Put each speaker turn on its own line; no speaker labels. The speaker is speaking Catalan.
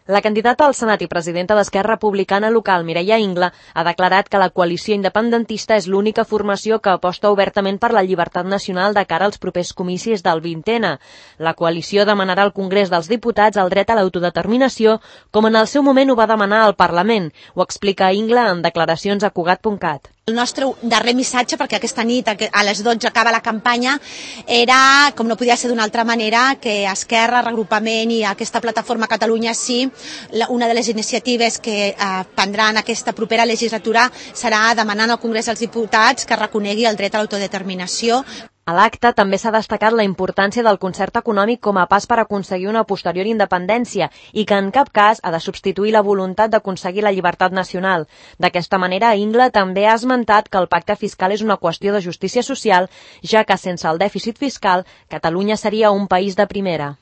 La candidata al Senat i presidenta d'Esquerra Republicana local, Mireia Ingla, ha declarat que la coalició independentista és l'única formació que aposta obertament per la llibertat nacional de cara als propers comicis del 20N. La coalició demanarà al Congrés dels Diputats el dret a l'autodeterminació, com en el seu moment ho va demanar al Parlament. Ho explica Ingla en declaracions a Cugat.cat.
El nostre darrer missatge, perquè aquesta nit a les 12 acaba la campanya, era, com no podia ser d'una altra manera, que Esquerra, Reagrupament i aquesta plataforma Catalunya Sí, una de les iniciatives que prendran aquesta propera legislatura serà demanant al Congrés dels Diputats que reconegui el dret a l'autodeterminació.
A l'acte també s'ha destacat la importància del concert econòmic com a pas per aconseguir una posterior independència i que en cap cas ha de substituir la voluntat d'aconseguir la llibertat nacional. D'aquesta manera, Ingla també ha esmentat que el pacte fiscal és una qüestió de justícia social, ja que sense el dèficit fiscal, Catalunya seria un país de primera.